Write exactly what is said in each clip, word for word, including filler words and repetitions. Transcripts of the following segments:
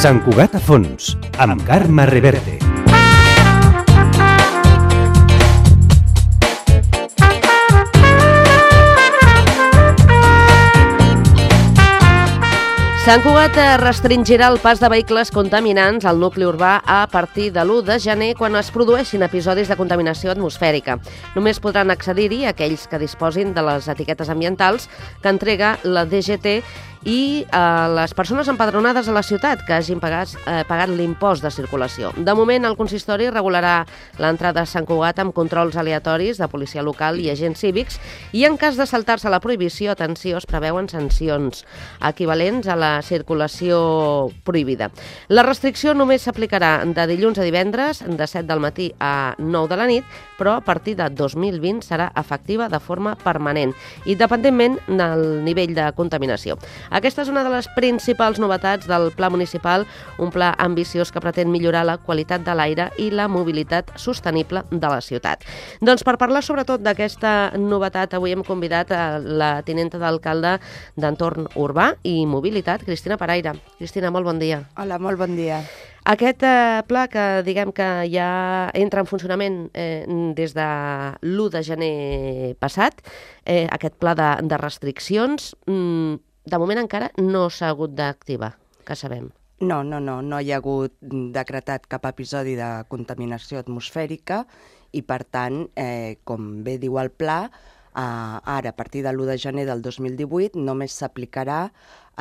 Sant Cugat a fons, amb Carme Reverte. Sant Cugat restringirà el pas de vehicles contaminants al nucli urbà a partir de l'u de gener quan es produeixin episodis de contaminació atmosfèrica. Només podran accedir-hi aquells que disposin de les etiquetes ambientals que entrega la D G T i eh, les persones empadronades a la ciutat que hagin pagat, eh, pagat l'impost de circulació. De moment, el consistori regularà l'entrada a Sant Cugat amb controls aleatoris de policia local i agents cívics i en cas de saltar-se la prohibició, atenció, es preveuen sancions equivalents a la circulació prohibida. La restricció només s'aplicarà de dilluns a divendres, de set del matí a nou de la nit, però a partir de dos mil vint serà efectiva de forma permanent, independentment del nivell de contaminació. Aquesta és una de les principals novetats del Pla Municipal, un pla ambiciós que pretén millorar la qualitat de l'aire i la mobilitat sostenible de la ciutat. Doncs per parlar sobretot d'aquesta novetat, avui hem convidat a la tinenta d'alcalde d'Entorn Urbà i Mobilitat, Cristina Paraire. Cristina, molt bon dia. Hola, molt bon dia. Aquest eh, pla que diguem que ja entra en funcionament eh, des de l'u de gener passat, eh, aquest pla de, de restriccions, mm, de moment encara no s'ha hagut d'activar, que sabem. No, no, no, no hi ha hagut decretat cap episodi de contaminació atmosfèrica i, per tant, eh, com bé diu el pla, eh, ara, a partir de l'u de gener del dos mil divuit, només s'aplicarà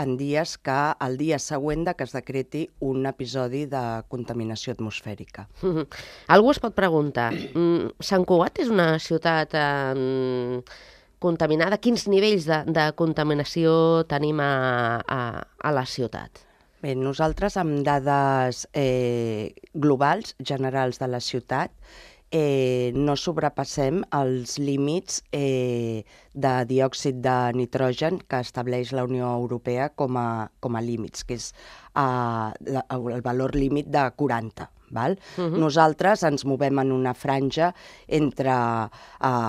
en dies que el dia següent de que es decreti un episodi de contaminació atmosfèrica. Mm-hmm. Algú es pot preguntar, mm, Sant Cugat és una ciutat eh, contaminada? Quins nivells de, de contaminació tenim a, a, a la ciutat? Bé, nosaltres amb dades eh, globals, generals de la ciutat, eh, no sobrepassem els límits eh, de diòxid de nitrogen que estableix la Unió Europea com a, com a límits, que és eh, el valor límit de quaranta. Val? Uh-huh. Nosaltres ens movem en una franja entre uh,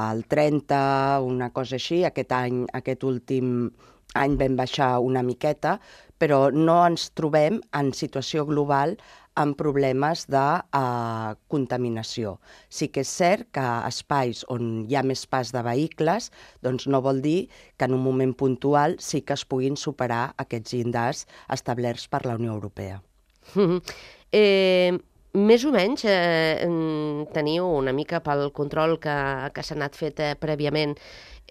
el trenta, una cosa així. Aquest any, aquest últim any vam baixar una miqueta, però no ens trobem en situació global amb problemes de uh, contaminació. Sí que és cert que espais on hi ha més pas de vehicles, doncs no vol dir que en un moment puntual sí que es puguin superar aquests llindars establerts per la Unió Europea. Uh-huh. Eh... Més o menys eh, teniu una mica pel control que, que s'ha anat fet eh, prèviament.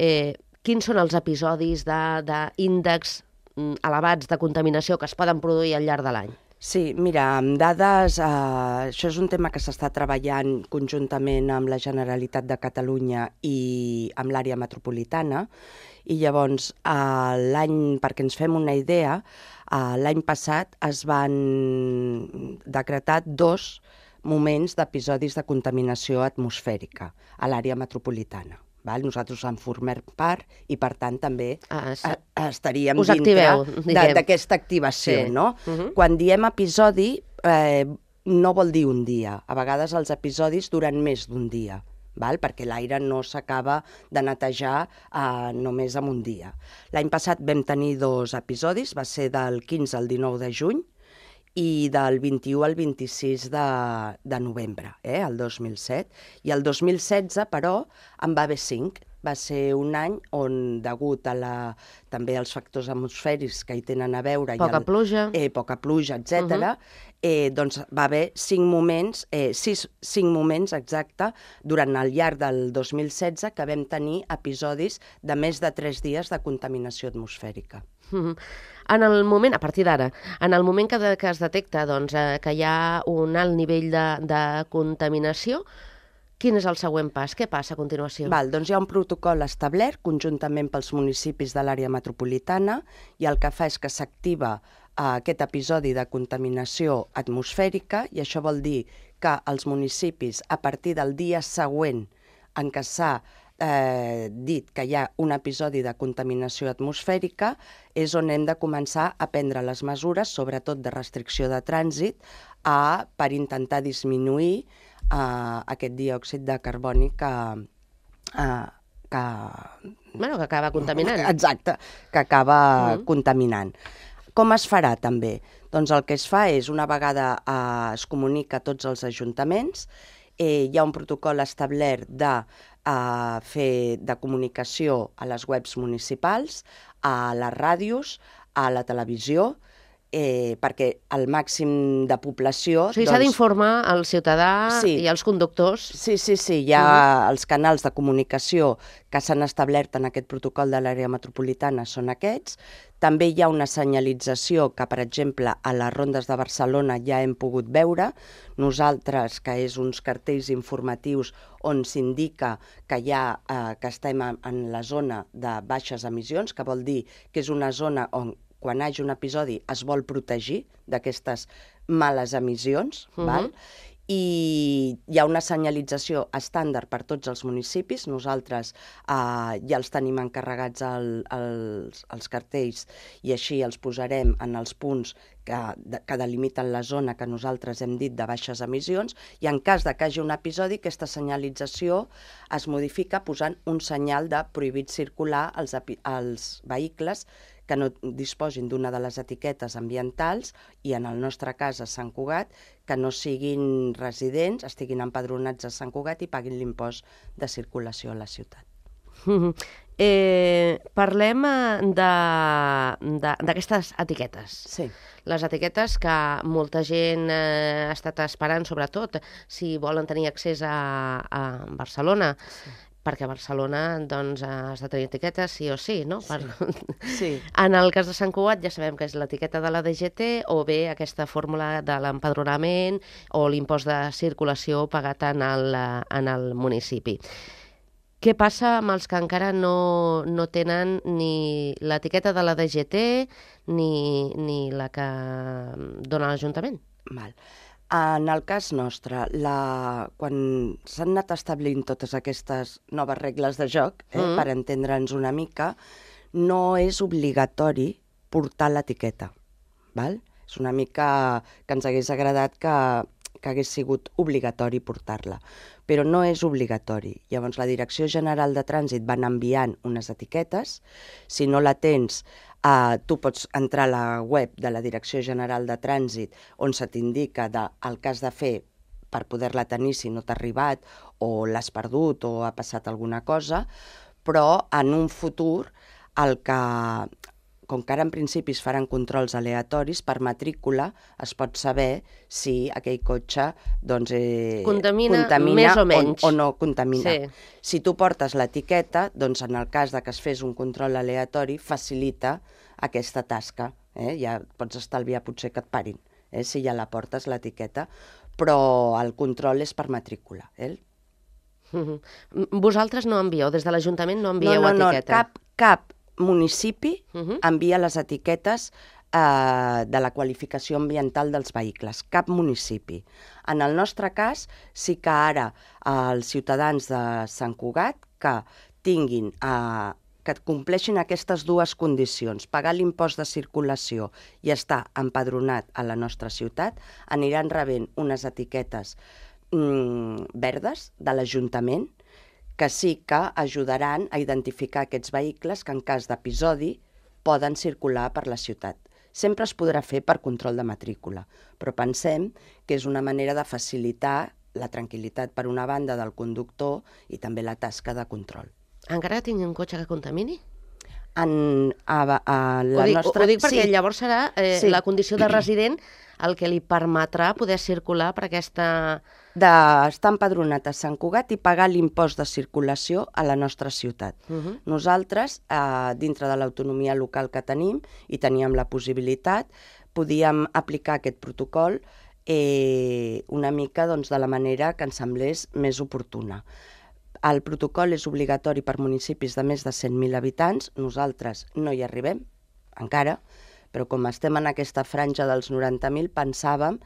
Eh, quins són els episodis d'índex elevats de contaminació que es poden produir al llarg de l'any? Sí, mira, amb dades, eh, això és un tema que s'està treballant conjuntament amb la Generalitat de Catalunya i amb l'àrea metropolitana, i llavors eh, l'any, perquè ens fem una idea, eh, l'any passat es van decretar dos moments d'episodis de contaminació atmosfèrica a l'àrea metropolitana. Val? Nosaltres en formem part i, per tant, també ah, sí. estaríem Us activeu, dintre d'aquesta activació. Sí. No? Uh-huh. Quan diem episodi, eh, no vol dir un dia. A vegades els episodis duren més d'un dia, val? Perquè l'aire no s'acaba de netejar eh, només en un dia. L'any passat vam tenir dos episodis, va ser del quinze al dinou de juny, i del vint-i-u al vint-i-sis de, de novembre, eh, el dos mil set. I el dos mil setze, però, en va haver cinc. Va ser un any on, degut a la, també als factors atmosfèrics que hi tenen a veure... Poca el, pluja. Eh, poca pluja, etcètera, uh-huh. eh, doncs va haver cinc moments, eh, sis, cinc moments exacte, durant el llarg del dos mil setze, que vam tenir episodis de més de tres dies de contaminació atmosfèrica. Uh-huh. En el moment, a partir d'ara, en el moment que, de, que es detecta doncs, eh, que hi ha un alt nivell de, de contaminació, quin és el següent pas? Què passa a continuació? Val, doncs hi ha un protocol establert conjuntament pels municipis de l'àrea metropolitana i el que fa és que s'activa eh, aquest episodi de contaminació atmosfèrica, i això vol dir que els municipis, a partir del dia següent en què s'ha eh, dit que hi ha un episodi de contaminació atmosfèrica, és on hem de començar a prendre les mesures, sobretot de restricció de trànsit, a, per intentar disminuir eh, aquest diòxid de carboni que... Eh, que... Bueno, que acaba contaminant. Exacte, que acaba mm. contaminant. Com es farà també? Doncs el que es fa és, una vegada eh, es comunica a tots els ajuntaments, eh, hi ha un protocol establert de eh, fer de comunicació a les webs municipals, a les ràdios, a la televisió, eh, perquè el màxim de població... O sigui, s'ha doncs, d'informar al ciutadà sí. i als conductors. Sí, sí, sí, hi ha uh-huh. els canals de comunicació que s'han establert en aquest protocol de l'àrea metropolitana, són aquests. També hi ha una senyalització que, per exemple, a les rondes de Barcelona ja hem pogut veure. Nosaltres, que és uns cartells informatius on s'indica que, ja, eh, que estem en la zona de baixes emissions, que vol dir que és una zona on, quan hi hagi un episodi, es vol protegir d'aquestes males emissions, uh-huh. val? I hi ha una senyalització estàndard per tots els municipis. Nosaltres eh, ja els tenim encarregats el, els, els cartells i així els posarem en els punts que, de, que delimiten la zona que nosaltres hem dit de baixes emissions, i en cas de que hi hagi un episodi, aquesta senyalització es modifica posant un senyal de prohibit circular als, als vehicles que no disposin d'una de les etiquetes ambientals, i en el nostre cas a Sant Cugat, que no siguin residents, estiguin empadronats a Sant Cugat i paguin l'impost de circulació a la ciutat. Mm-hmm. eh, parlem d'aquestes etiquetes. Sí. Les etiquetes que molta gent eh, ha estat esperant, sobretot si volen tenir accés a, a Barcelona. Sí. Perquè a Barcelona doncs, has de tenir etiquetes sí o sí, no? Per... Sí. Sí. En el cas de Sant Cugat ja sabem que és l'etiqueta de la D G T o bé aquesta fórmula de l'empadronament o l'impost de circulació pagat en el, en el municipi. Què passa amb els que encara no, no tenen ni l'etiqueta de la D G T ni, ni la que dona l'Ajuntament? Val. En el cas nostre, la... quan s'han anat establint totes aquestes noves regles de joc, eh, mm. per entendre'ns una mica, no és obligatori portar l'etiqueta. Val? És una mica que ens hagués agradat que, que hagués sigut obligatori portar-la, però no és obligatori. Llavors, la Direcció General de Trànsit van enviant unes etiquetes. Si no la tens, Uh, tu pots entrar a la web de la Direcció General de Trànsit, on se t'indica de, el que has de fer per poder-la tenir si no t'ha arribat o l'has perdut o ha passat alguna cosa, però en un futur, el que, com que ara en principi es faran controls aleatoris, per matrícula es pot saber si aquell cotxe doncs, eh, contamina, contamina més o menys o, o no contamina. Sí. Si tu portes l'etiqueta, doncs en el cas de que es fes un control aleatori, facilita aquesta tasca. Eh? Ja pots estalviar potser que et parin, eh? si ja la portes l'etiqueta, però el control és per matrícula. Eh? Mm-hmm. Vosaltres no envieu, des de l'Ajuntament no envieu no, no, etiqueta? No, cap, cap municipi uh-huh. envia les etiquetes eh, de la qualificació ambiental dels vehicles, cap municipi. En el nostre cas, sí que ara eh, els ciutadans de Sant Cugat que tinguin, eh, que compleixin aquestes dues condicions, pagar l'impost de circulació i estar empadronat a la nostra ciutat, aniran rebent unes etiquetes mm, verdes de l'Ajuntament, que sí que ajudaran a identificar aquests vehicles que en cas d'episodi poden circular per la ciutat. Sempre es podrà fer per control de matrícula, però pensem que és una manera de facilitar la tranquil·litat per una banda del conductor i també la tasca de control. Encara tingui un cotxe que contamini? En, a, a la ho dic, nostra... Ho dic perquè sí. llavors serà eh, sí. la condició de resident el que li permetrà poder circular per aquesta... D'estar empadronat a Sant Cugat i pagar l'impost de circulació a la nostra ciutat. Uh-huh. Nosaltres, eh, dintre de l'autonomia local que tenim, i teníem la possibilitat, podíem aplicar aquest protocol eh, una mica doncs, de la manera que ens semblés més oportuna. El protocol és obligatori per municipis de més de cent mil habitants. Nosaltres no hi arribem, encara, però com estem en aquesta franja dels noranta mil, pensàvem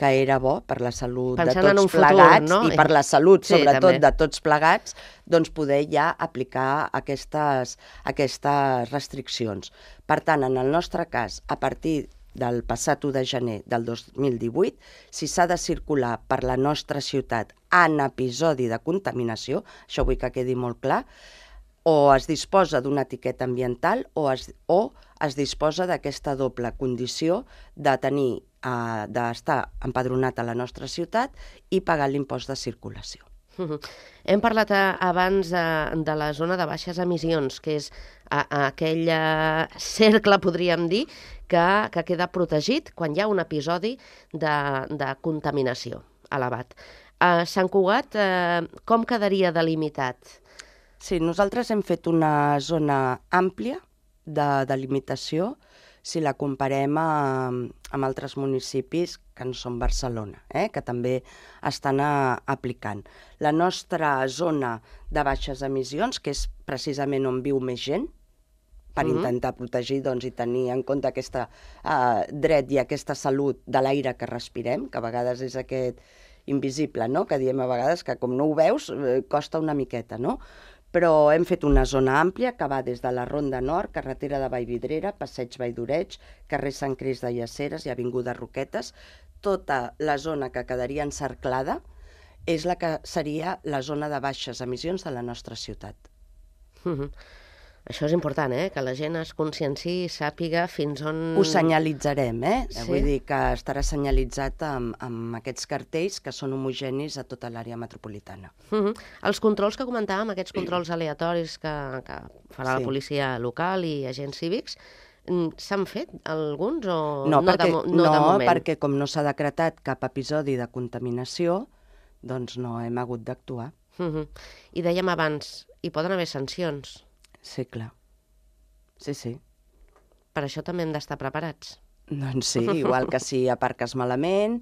que era bo per la salut Pensant de tots plegats, futur, no? I per la salut, sí, sobretot, també. de tots plegats, doncs poder ja aplicar aquestes, aquestes restriccions. Per tant, en el nostre cas, a partir del passat u de gener del dos mil divuit, si s'ha de circular per la nostra ciutat en episodi de contaminació, això vull que quedi molt clar, o es disposa d'una etiqueta ambiental o es, o es disposa d'aquesta doble condició de tenir, eh, d'estar empadronat a la nostra ciutat i pagar l'impost de circulació. Uh -huh. Hem parlat a, abans de, de la zona de baixes emissions, que és a, a aquell a, cercle, podríem dir, que, que queda protegit quan hi ha un episodi de, de contaminació elevat. A Sant Cugat, eh, com quedaria delimitat? Sí, nosaltres hem fet una zona àmplia de delimitació si la comparem amb, amb altres municipis que no són Barcelona, eh? que també estan a, aplicant. La nostra zona de baixes emissions, que és precisament on viu més gent, per mm-hmm. intentar protegir doncs, i tenir en compte aquest uh, dret i aquesta salut de l'aire que respirem, que a vegades és aquest invisible, no? que diem a vegades que com no ho veus eh, costa una miqueta, no? Però hem fet una zona àmplia que va des de la Ronda Nord, carretera de Vallvidrera, Passeig Vall d'Oreig, carrer Sant Crist de Llaceres i avinguda Roquetes. Tota la zona que quedaria encerclada és la que seria la zona de baixes emissions de la nostra ciutat. Mm-hmm. Això és important, eh? que la gent es conscienciï i sàpiga fins on... Ho senyalitzarem, eh? Sí? Vull dir que estarà senyalitzat amb, amb aquests cartells que són homogenis a tota l'àrea metropolitana. Uh-huh. Els controls que comentàvem, aquests controls aleatoris que, que farà sí. la policia local i agents cívics, s'han fet alguns o no? no, Perquè, de, no, no, de moment? perquè com no s'ha decretat cap episodi de contaminació, doncs no hem hagut d'actuar. Uh-huh. I dèiem abans, hi poden haver sancions. Sí, clar. Sí, sí. Per això també hem d'estar preparats. Doncs sí, igual que si aparques malament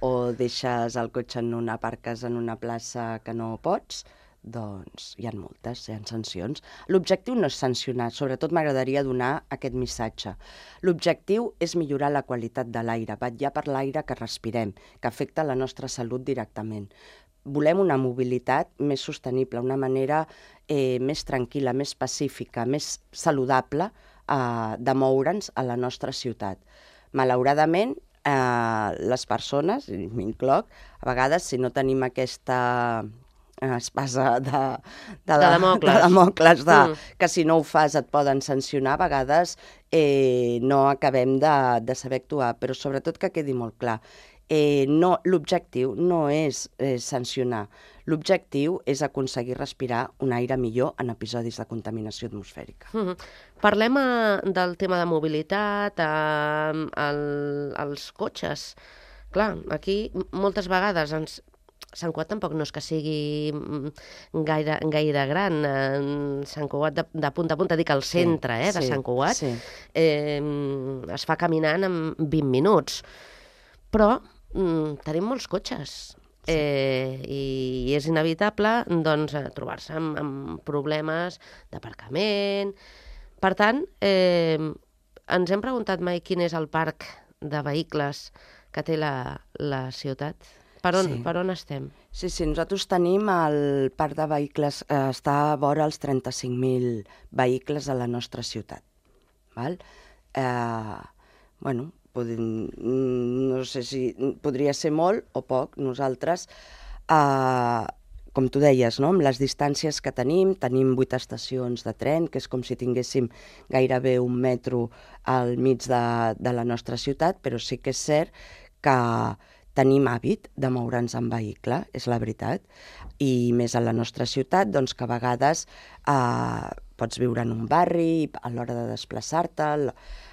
o deixes el cotxe en una, aparques en una plaça que no pots, doncs hi ha multes, hi ha sancions. L'objectiu no és sancionar, sobretot m'agradaria donar aquest missatge. L'objectiu és millorar la qualitat de l'aire, vetllar per l'aire que respirem, que afecta la nostra salut directament. Volem una mobilitat més sostenible, una manera eh, més tranquil·la, més pacífica, més saludable eh, de moure'ns a la nostra ciutat. Malauradament, eh, les persones, i m'incloc, a vegades si no tenim aquesta espasa de, de, de Damocles, de, Damocles de, mm. que si no ho fas et poden sancionar, a vegades eh, no acabem de, de saber actuar, però sobretot que quedi molt clar. Eh, no, l'objectiu no és eh, sancionar, l'objectiu és aconseguir respirar un aire millor en episodis de contaminació atmosfèrica. Mm-hmm. Parlem a, del tema de mobilitat, a, a, als cotxes. Clar, aquí moltes vegades ens... Sant Cugat tampoc no és que sigui gaire, gaire gran. Sant Cugat de, de punta a punta, dic al centre sí, eh, de sí, Sant Cugat, sí. eh, es fa caminant en vint minuts. Però mm, tenim molts cotxes sí. eh, i és inevitable doncs, trobar-se amb, amb problemes d'aparcament. Per tant, eh, ens hem preguntat mai quin és el parc de vehicles que té la, la ciutat? Per on, sí. per on estem? Sí, sí, nosaltres tenim el parc de vehicles, eh, està a vora els trenta-cinc mil vehicles a la nostra ciutat. Val? Eh, bueno, podem, no sé si podria ser molt o poc. Nosaltres, eh, com tu deies, no? Amb les distàncies que tenim, tenim vuit estacions de tren, que és com si tinguéssim gairebé un metro al mig de, de la nostra ciutat, però sí que és cert que tenim hàbit de moure'ns en vehicle, és la veritat, i més a la nostra ciutat, doncs que a vegades eh, pots viure en un barri, a l'hora de desplaçar-te,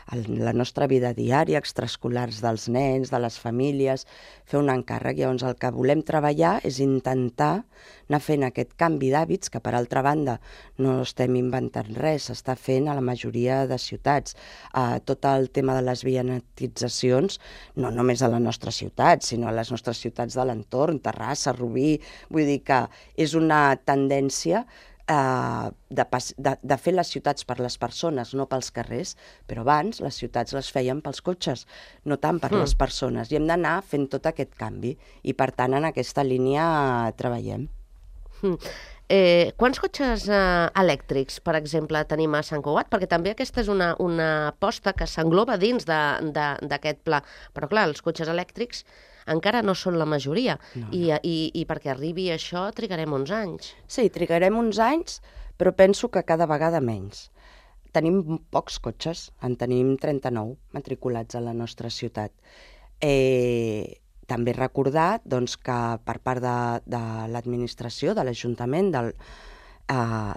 la nostra vida diària, extraescolars dels nens, de les famílies, fer un encàrrec. Llavors el que volem treballar és intentar anar fent aquest canvi d'hàbits, que per altra banda no estem inventant res, s'està fent a la majoria de ciutats. Uh, tot el tema de les vianetitzacions, no només a la nostra ciutat, sinó a les nostres ciutats de l'entorn, Terrassa, Rubí, vull dir que és una tendència Uh, de, de, de fer les ciutats per les persones, no pels carrers, però abans les ciutats les feien pels cotxes, no tant per mm. les persones, i hem d'anar fent tot aquest canvi, i per tant en aquesta línia uh, treballem. Mm. Eh, quants cotxes eh, elèctrics, per exemple, tenim a Sant Cugat? Perquè també aquesta és una, una aposta que s'engloba dins d'aquest pla, però clar, els cotxes elèctrics encara no són la majoria, no, no. I, i, i perquè arribi això trigarem uns anys. Sí, trigarem uns anys, però penso que cada vegada menys. Tenim pocs cotxes, en tenim trenta-nou matriculats a la nostra ciutat. Eh, també recordar doncs, que per part de, de l'administració, de l'Ajuntament, del, eh,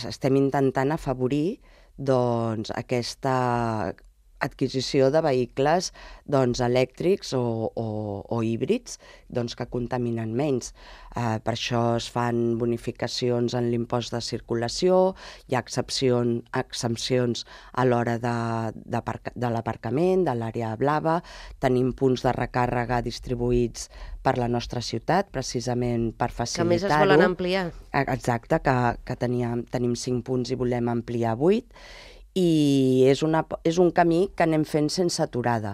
estem intentant afavorir doncs, aquesta adquisició de vehicles doncs, elèctrics o, o, o híbrids doncs, que contaminen menys. Eh, per això es fan bonificacions en l'impost de circulació, hi ha excepcions, exempcions a l'hora de, de, de l'aparcament, de l'àrea blava, tenim punts de recàrrega distribuïts per la nostra ciutat, precisament per facilitar-ho. Que més es volen ampliar. Exacte, que, que teníem, tenim cinc punts i volem ampliar vuit, i és, una, és un camí que anem fent sense aturada.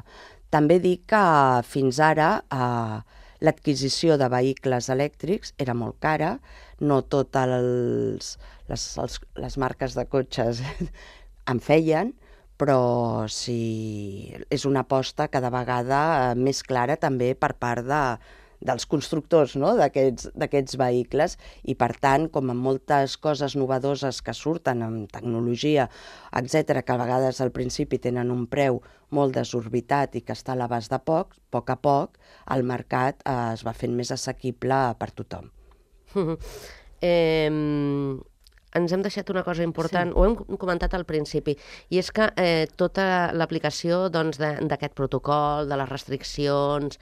També dic que fins ara eh, l'adquisició de vehicles elèctrics era molt cara, no totes els, les, els, les marques de cotxes en feien, però sí, és una aposta cada vegada més clara també per part de, dels constructors, no? d'aquests vehicles, i per tant, com en moltes coses novedoses que surten en tecnologia, etcètera, que a vegades al principi tenen un preu molt desorbitat i que està a l'abast de poc, a poc a poc el mercat eh, es va fent més assequible per tothom. eh, ens hem deixat una cosa important, sí. Ho hem comentat al principi, i és que eh, tota l'aplicació doncs, d'aquest protocol, de les restriccions,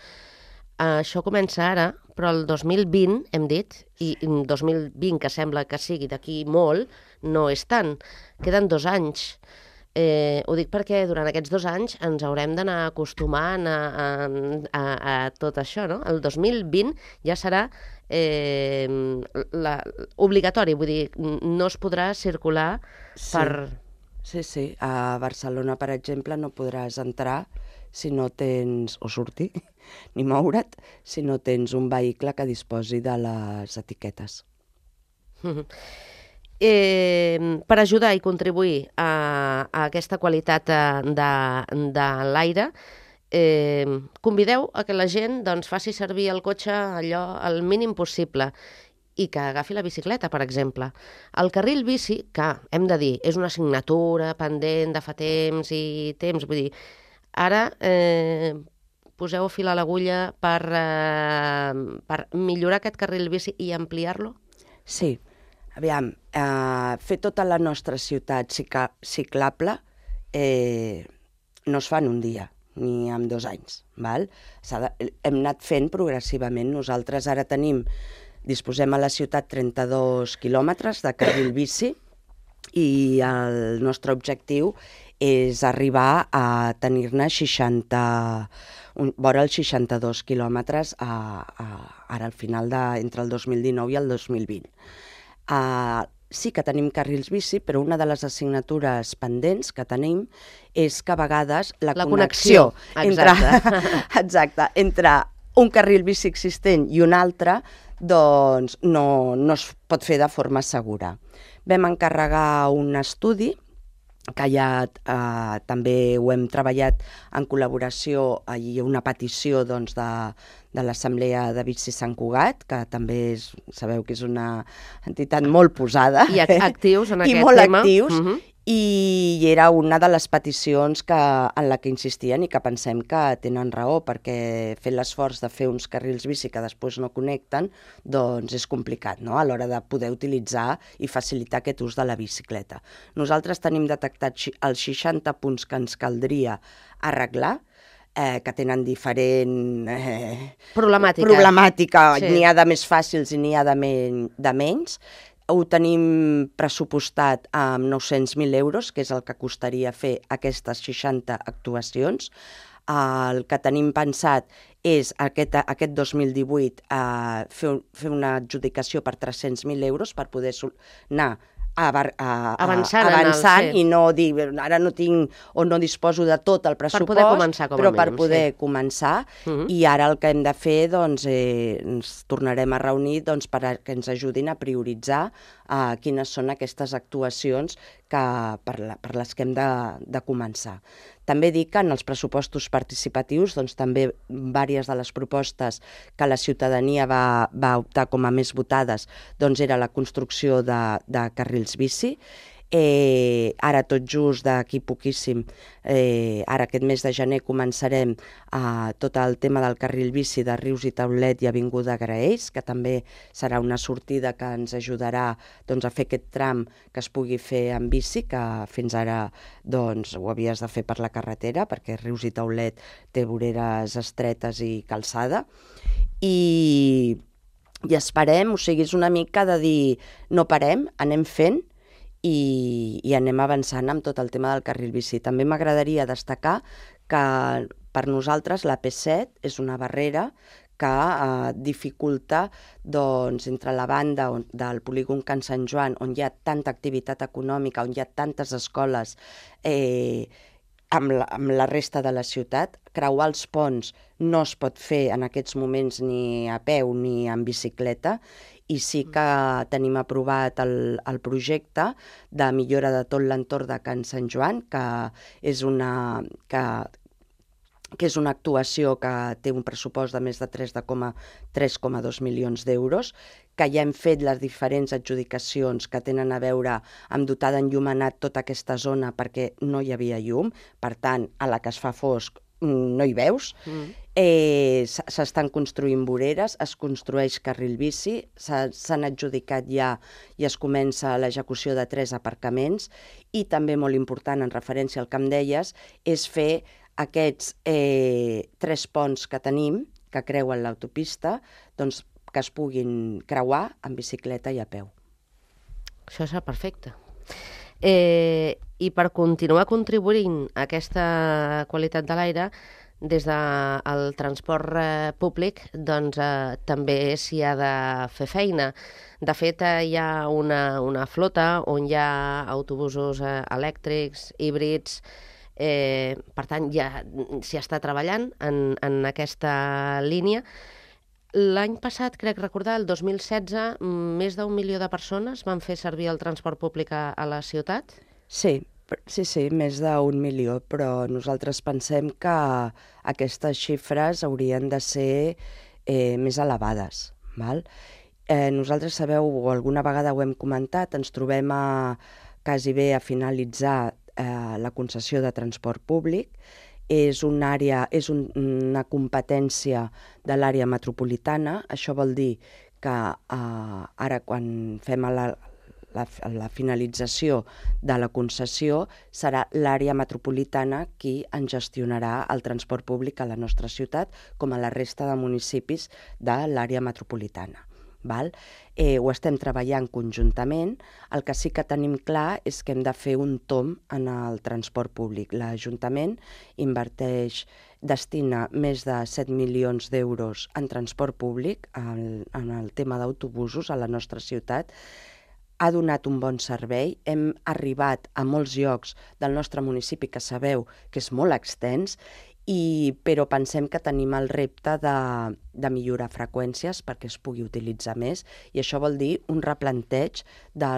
això comença ara, però el dos mil vint, hem dit, i dos mil vint, que sembla que sigui d'aquí molt, no és tant. Queden dos anys. Eh, ho dic perquè durant aquests dos anys ens haurem d'anar acostumant a, a, a, a tot això, no? El dos mil vint ja serà eh, la, obligatori, vull dir, no es podrà circular sí. per... Sí, sí. A Barcelona, per exemple, no podràs entrar si no tens, o sortir, ni moure't, si no tens un vehicle que disposi de les etiquetes. Mm-hmm. eh, per ajudar i contribuir a, a aquesta qualitat de, de l'aire, eh, convideu a que la gent doncs, faci servir el cotxe allò el mínim possible i que agafi la bicicleta, per exemple. El carril bici, que hem de dir, és una assignatura pendent de fa temps i temps, vull dir, ara eh, poseu fil a l'agulla per, eh, per millorar aquest carril bici i ampliar-lo? Sí. Aviam, eh, fer tota la nostra ciutat ciclable eh, no es fa en un dia, ni en dos anys. Val? De, hem anat fent progressivament. Nosaltres ara tenim, disposem a la ciutat trenta-dos quilòmetres de carril bici i el nostre objectiu és arribar a tenir-ne seixanta, un, vora els seixanta-dos quilòmetres a, a, ara al final de, entre el dos mil dinou i el dos mil vint. Uh, sí que tenim carrils bici, però una de les assignatures pendents que tenim és que a vegades la, la connexió, connexió exacte. Entre, exacte, entre un carril bici existent i un altre doncs no, no es pot fer de forma segura. Vam encarregar un estudi que ja eh, també ho hem treballat en col·laboració i una petició doncs, de, de l'Assemblea de Bici Sant Cugat, que també és, sabeu que és una entitat molt posada. I actius en aquest I molt tema. actius. Uh-huh. I era una de les peticions que, en la que insistien i que pensem que tenen raó, perquè fer l'esforç de fer uns carrils bici que després no connecten doncs és complicat, no? A l'hora de poder utilitzar i facilitar aquest ús de la bicicleta. Nosaltres tenim detectat els seixanta punts que ens caldria arreglar, eh, que tenen diferent eh, problemàtica. problemàtica. Sí. N'hi ha de més fàcils i n'hi ha de, men de menys. Ho tenim pressupostat amb nou-cents mil euros, que és el que costaria fer aquestes seixanta actuacions. El que tenim pensat és aquest, aquest dos mil divuit eh, fer, fer una adjudicació per tres-cents mil euros per poder anar a, a, a, avançant, avançant el, sí. I no dir, ara no tinc o no disposo de tot el pressupost, per poder començar, com però a per mínim, poder sí. començar. Uh-huh. I ara el que hem de fer, doncs, eh, ens tornarem a reunir doncs, per a que ens ajudin a prioritzar eh, quines són aquestes actuacions que per, la, per les que hem de, de començar. També dic que en els pressupostos participatius doncs, també diverses de les propostes que la ciutadania va, va optar com a més votades doncs, era la construcció de, de carrils bici. Eh, ara tot just d'aquí poquíssim, eh, ara aquest mes de gener començarem eh, tot el tema del carril bici de Rius i Taulet i Avinguda Graells, que també serà una sortida que ens ajudarà doncs, a fer aquest tram que es pugui fer en bici, que fins ara doncs, ho havies de fer per la carretera, perquè Rius i Taulet té voreres estretes i calçada. I, i esperem, o sigui, és una mica de dir no parem, anem fent, I, i anem avançant amb tot el tema del carril bici. També m'agradaria destacar que per nosaltres la P set és una barrera que eh, dificulta doncs, entre la banda on, del polígon Can Sant Joan, on hi ha tanta activitat econòmica, on hi ha tantes escoles, eh, amb la, amb la resta de la ciutat. Creuar els ponts no es pot fer en aquests moments ni a peu ni en bicicleta, i sí que tenim aprovat el, el projecte de millora de tot l'entorn de Can Sant Joan, que és una, que, que és una actuació que té un pressupost de més de tres coma dos milions d'euros, que ja hem fet les diferents adjudicacions que tenen a veure amb dotar d'enllumenat tota aquesta zona perquè no hi havia llum, per tant, a la que es fa fosc no hi veus. Mm. Eh, s'estan construint voreres, es construeix carril bici, s'han adjudicat ja i es comença l'execució de tres aparcaments, i també molt important, en referència al que em deies, és fer aquests eh, tres ponts que tenim, que creuen l'autopista, doncs que es puguin creuar en bicicleta i a peu. Això serà perfecte. Eh, I per continuar contribuint a aquesta qualitat de l'aire, des del transport eh, públic doncs, eh, també s'hi ha de fer feina. De fet, eh, hi ha una, una flota on hi ha autobusos eh, elèctrics, híbrids, eh, per tant, ja s'hi està treballant en, en aquesta línia. L'any passat, crec recordar, el dos mil setze, més d'un milió de persones van fer servir el transport públic a, a la ciutat? Sí, sí, sí, més d'un milió, però nosaltres pensem que aquestes xifres haurien de ser eh, més elevades. Val? Eh, nosaltres, sabeu, o alguna vegada ho hem comentat, ens trobem a, quasi bé a finalitzar eh, la concessió de transport públic. És una àrea, és un, una competència de l'àrea metropolitana. Això vol dir que eh, ara quan fem la, la, la finalització de la concessió serà l'àrea metropolitana qui en gestionarà el transport públic a la nostra ciutat, com a la resta de municipis de l'àrea metropolitana. Val? Eh, ho estem treballant conjuntament. El que sí que tenim clar és que hem de fer un tomb en el transport públic. L'Ajuntament inverteix, destina més de set milions d'euros en transport públic, en, en el tema d'autobusos a la nostra ciutat. Ha donat un bon servei. Hem arribat a molts llocs del nostre municipi que sabeu que és molt extens, I, però pensem que tenim el repte de, de millorar freqüències perquè es pugui utilitzar més, i això vol dir un replanteig de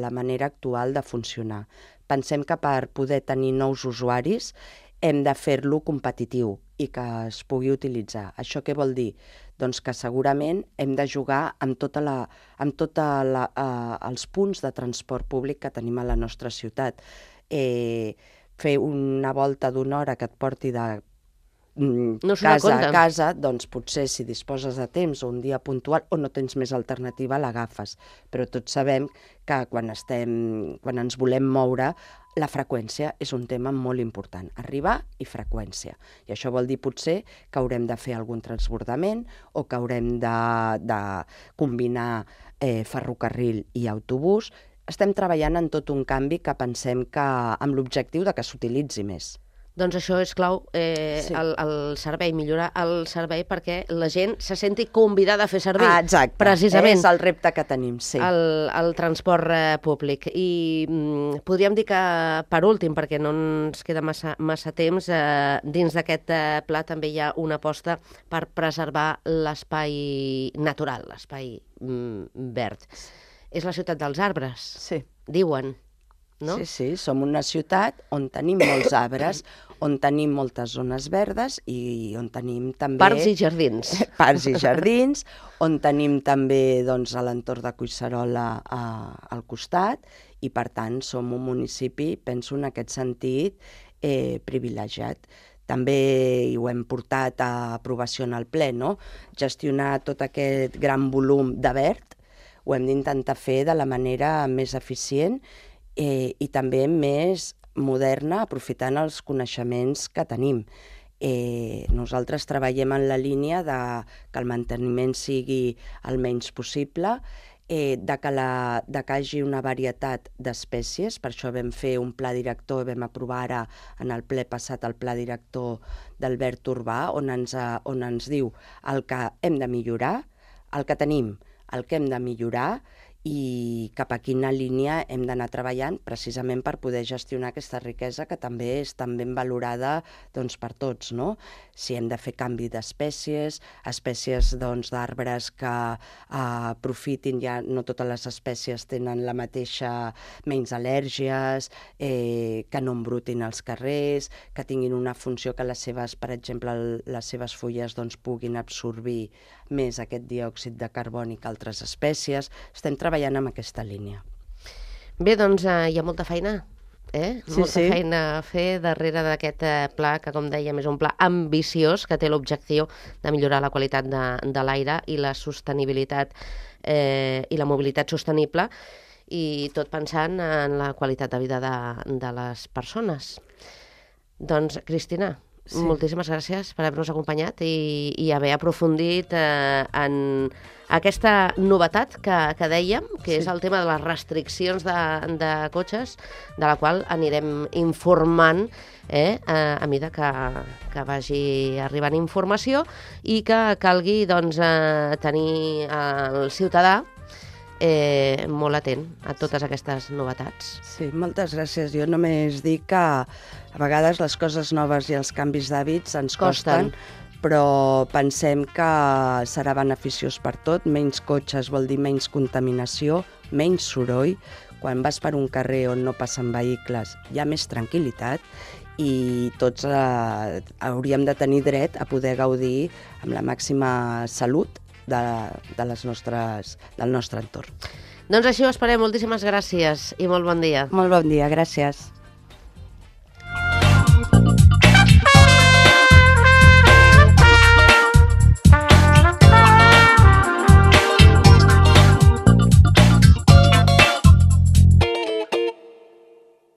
la manera actual de funcionar. Pensem que per poder tenir nous usuaris hem de fer-lo competitiu i que es pugui utilitzar. Això què vol dir? Doncs que segurament hem de jugar amb tota la, amb tota la, eh, els punts de transport públic que tenim a la nostra ciutat. Eh, fer una volta d'una hora que et porti de mm, no casa a casa, doncs potser si disposes de temps o un dia puntual o no tens més alternativa, l'agafes. Però tots sabem que quan, estem, quan ens volem moure, la freqüència és un tema molt important. Arribar i freqüència. I això vol dir potser que haurem de fer algun transbordament o que haurem de, de combinar eh, ferrocarril i autobús. Estem treballant en tot un canvi que pensem que amb l'objectiu de que s'utilitzi més. Doncs això és clau, eh, sí. el, el servei, millorar el servei perquè la gent se senti convidada a fer servir. Ah, exacte, precisament, és el repte que tenim, sí. El, el transport eh, públic. I mm, podríem dir que, per últim, perquè no ens queda massa, massa temps, eh, dins d'aquest eh, pla també hi ha una aposta per preservar l'espai natural, l'espai mm, verd. És la ciutat dels arbres, sí. diuen. no? Sí, sí, som una ciutat on tenim molts arbres, on tenim moltes zones verdes i on tenim també... Parcs i jardins. Parcs i jardins, on tenim també doncs, a l'entorn de Collserola a, al costat i, per tant, som un municipi, penso en aquest sentit, eh, privilegiat. També hi ho hem portat a aprovació en el ple, no? Gestionar tot aquest gran volum de verd ho hem d'intentar fer de la manera més eficient eh, i també més moderna, aprofitant els coneixements que tenim. Eh, nosaltres treballem en la línia de que el manteniment sigui el menys possible, eh, de, que la, de que hi hagi una varietat d'espècies, per això vam fer un pla director, vam aprovar ara en el ple passat el pla director del verd urbà, on ens, on ens diu el que hem de millorar, el que tenim, el que hem de millorar i cap a quina línia hem d'anar treballant precisament per poder gestionar aquesta riquesa que també és tan ben valorada doncs, per tots, no? Si hem de fer canvi d'espècies, espècies doncs, d'arbres que eh, aprofitin, ja no totes les espècies tenen la mateixa, menys al·lèrgies, eh, que no embrutin als carrers, que tinguin una funció que les seves, per exemple, les seves fulles doncs, puguin absorbir més aquest diòxid de carboni que altres espècies. Estem treballant en aquesta línia. Bé, doncs eh, hi ha molta feina, eh? Sí, molta sí. feina a fer darrere d'aquest eh, pla, que com dèiem és un pla ambiciós, que té l'objectiu de millorar la qualitat de, de l'aire i la sostenibilitat eh, i la mobilitat sostenible, i tot pensant en la qualitat de vida de, de les persones. Doncs, Cristina, sí. moltíssimes gràcies per haver-nos acompanyat i, i haver aprofundit eh, en aquesta novetat que, que dèiem, que sí. és el tema de les restriccions de, de cotxes, de la qual anirem informant eh, a mida que, que vagi arribant informació i que calgui doncs, eh, tenir el ciutadà Eh, molt atent a totes aquestes novetats. Sí, moltes gràcies. Jo només dic que a vegades les coses noves i els canvis d'hàbits ens costen, costen, però pensem que serà beneficiós per tot. Menys cotxes vol dir menys contaminació, menys soroll. Quan vas per un carrer on no passen vehicles hi ha més tranquil·litat i tots eh, hauríem de tenir dret a poder gaudir amb la màxima salut De, de les nostres, del nostre entorn. Doncs així ho esperem. Moltíssimes gràcies i molt bon dia. Molt bon dia, gràcies.